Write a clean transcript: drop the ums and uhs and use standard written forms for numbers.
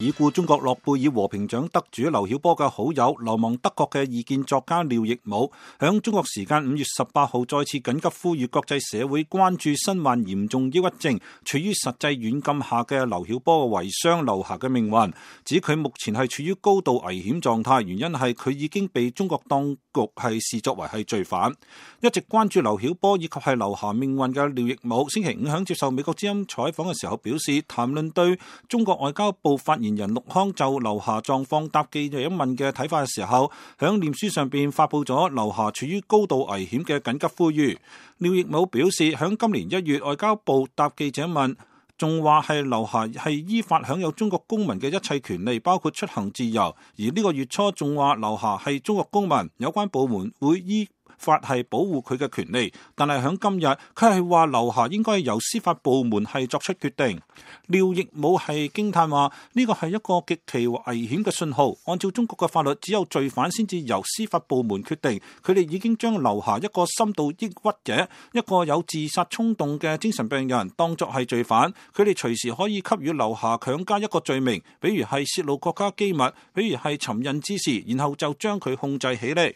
已故中國諾貝爾和平獎得主劉曉波嘅好友、流亡德國嘅異見作家廖亦武，響中國時間5月18號再次緊急呼籲國際社會關注身患嚴重抑鬱症、處於實際軟禁下嘅劉曉波嘅遺孀劉霞嘅命運，指佢目前係處於高度危險狀態，原因係佢已經被中國當局係視作為係罪犯。一直關注劉曉波以及係劉霞命運嘅廖亦武，星期五響接受美國之音採訪嘅時候表示，談論對中國外交部發言人陸康就劉霞狀況答記者問嘅睇法嘅時候，響臉書上邊發佈咗劉霞處於高度危險嘅緊急呼籲。廖亦武表示，響今年1月外交部答記者問，仲話係劉霞係依法享有中國公民嘅一切權利，包括出行自由。而呢個月初仲話劉霞係中國公民，有關部門會依法係保護佢嘅權利，但係響今日佢係話劉霞應該由司法部門係作出決定。廖亦武係驚嘆話，呢個係一個極其危險嘅信號。按照中國嘅法律，只有罪犯先至由司法部門決定。佢哋已經將劉霞一個深度抑鬱者、一個有自殺衝動嘅精神病人當作係罪犯。佢哋隨時可以給予劉霞強加一個罪名，比如係泄露國家機密，比如係尋釁滋事，然後就將佢控制起嚟。